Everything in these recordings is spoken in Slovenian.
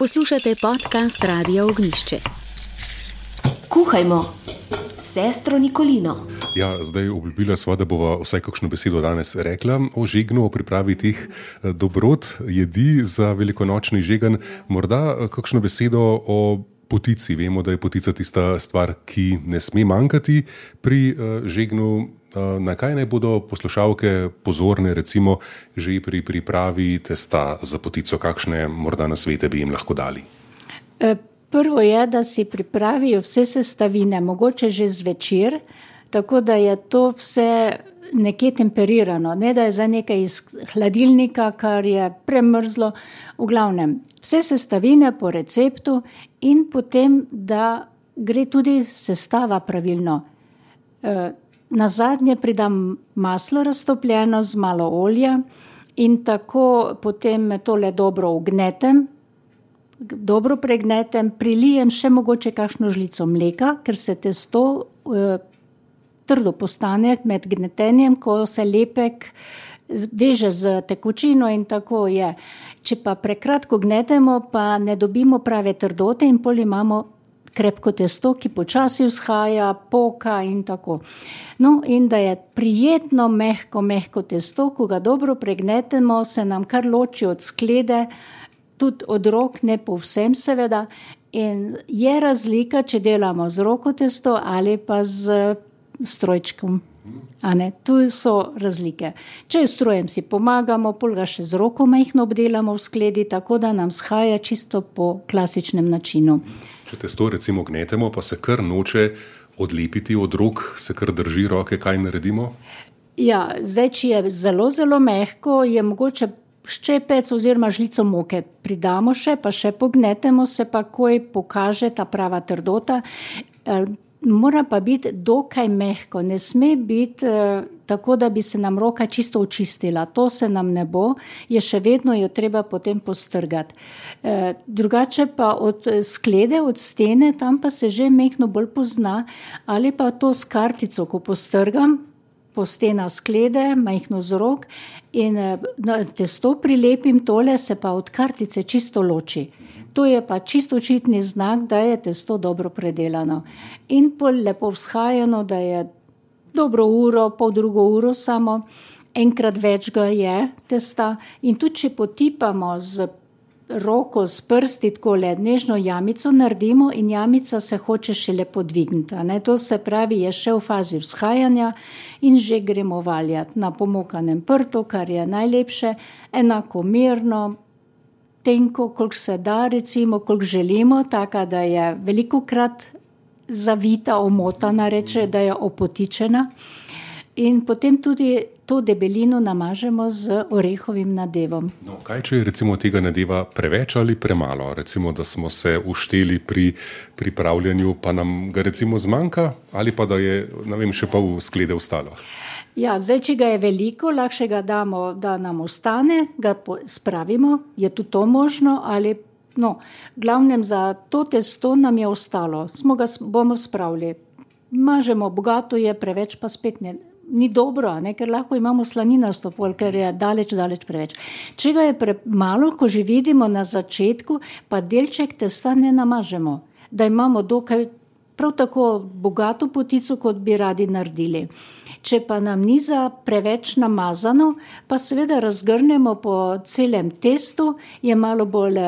Poslušate podcast Radia Ognjišče. Kuhajmo, sestro Nikolino. Ja, zdaj obljubila sva, da bova vsaj kakšno besedo danes rekla o žegnu, o pripravi teh dobrot, jedi za velikonočni žegen. Morda kakšno besedo o potici. Vemo, da je potica tista stvar, ki ne sme manjkati pri žegnu. Na kaj naj bodo poslušalke pozorne, recimo, že pri pripravi testa za potico? Kakšne morda nasvete bi jim lahko dali? Prvo je, da si pripravijo vse sestavine, mogoče že zvečer, tako da je to vse nekje temperirano, ne da je za nekaj iz hladilnika, kar je premrzlo. V glavnem, vse sestavine po receptu in potem, da gre tudi sestava pravilno. Nazadnje pridam maslo raztopljeno z malo olja in tako potem tole dobro ugnetem, dobro pregnetem, prilijem še mogoče kakšno žlico mleka, ker se testo trdo postane med gnetenjem, ko se lepek veže z tekočino in tako je. Če pa prekratko gnetemo, pa ne dobimo prave trdote in pol imamo krepko testo, ki počasi vzhaja, poka in tako. No, in da je prijetno mehko testo, ko ga dobro pregnetemo, se nam kar loči od sklede, tudi od rok, ne povsem seveda. In je razlika, če delamo z roko testo ali pa z strojčkom. Tu so razlike. Če s strojem si pomagamo, pol ga še z roko majhno obdelamo v skledi, tako da nam vzhaja čisto po klasičnem načinu. Če testo recimo gnetemo, pa se kar noče odlepiti od rok, se kar drži roke, kaj naredimo? Ja, zdaj, če je zelo, zelo mehko, je mogoče ščepec oziroma žlico moke pridamo še, pa še pognetemo, se pa koj pokaže ta prava trdota. Mora pa biti dokaj mehko, ne sme biti tako, da bi se nam roka čisto očistila. To se nam ne bo, je še vedno jo treba potem postrgati. Drugače pa od sklede, od stene, tam pa se že mehko bolj pozna, ali pa to s kartico, ko postrgam, po stena sklede, majhno z rok in testo prilepim, tole se pa od kartice čisto loči. To je pa čisto očitni znak, da je testo dobro predelano. In pol lepo vzhajano, da je dobro uro, poldrugo uro samo, enkrat več ga je testa. In tudi, če potipamo z roko, s prsti, tako nežno jamico naredimo in jamica se hoče šele podvigniti. To se pravi, je še v fazi vzhajanja in že gremo valjati na pomokanem prtu, kar je najlepše, enakomerno, tenko, koliko se da, recimo, koliko želimo, taka, da je velikokrat zavita, omotana, reče, da je opotičena. In potem tudi to debelino namažemo z orehovim nadevom. No, kaj, če je recimo tega nadeva preveč ali premalo? Recimo, da smo se ušteli pri pripravljanju, pa nam ga recimo zmanjka, ali pa da je, ne vem, še pol sklede ostalo? Ja, zdaj, če ga je veliko, lahko ga damo, da nam ostane, ga spravimo, je tudi to možno, ali, glavnem za to testo nam je ostalo, bomo spravili. Mažemo, bogato je, preveč pa spet ni dobro, ker lahko imamo slaninasto pol, ker je daleč preveč. Če ga je premalo, ko že vidimo na začetku, pa delček testa ne namažemo, da imamo dokaj prav tako bogato potico, kot bi radi naredili. Če pa nam ni za preveč namazano, pa seveda razgrnemo po celem testu, je malo bolj,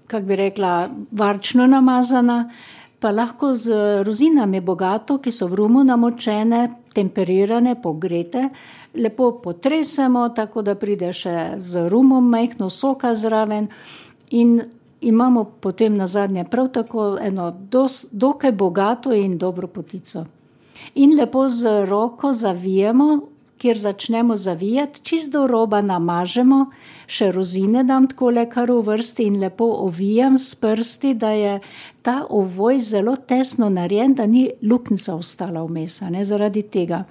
kak bi rekla, varčno namazana, pa lahko z rozinami bogato, ki so v rumu namočene, temperirane, pogrete, lepo potresemo, tako da pride še z rumom majhno soka zraven in imamo potem nazadnje prav tako eno dokaj bogato in dobro potico. In lepo z roko zavijemo, kjer začnemo zavijati, čisto do roba namažemo, še rozine dam takole kar v vrsti in lepo ovijam s prsti, da je ta ovoj zelo tesno narejen, da ni luknjica ostala vmes, zaradi tega.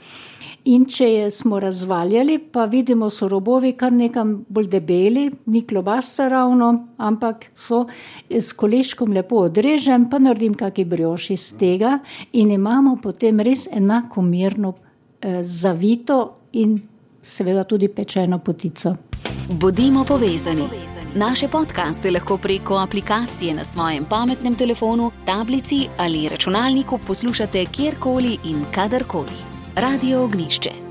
In če smo razvaljali, pa vidimo, so robovi kar nekam bolj debeli, ni klobasca ravno, ampak so s koleščkom lepo odrežem, pa naredim kaki brioš iz tega in imamo potem res enakomerno zavito in seveda tudi pečeno potico. Bodimo povezani. Naše podcaste lahko preko aplikacije na svojem pametnem telefonu, tablici ali računalniku poslušate kjerkoli in kadarkoli. Radio Ognišče.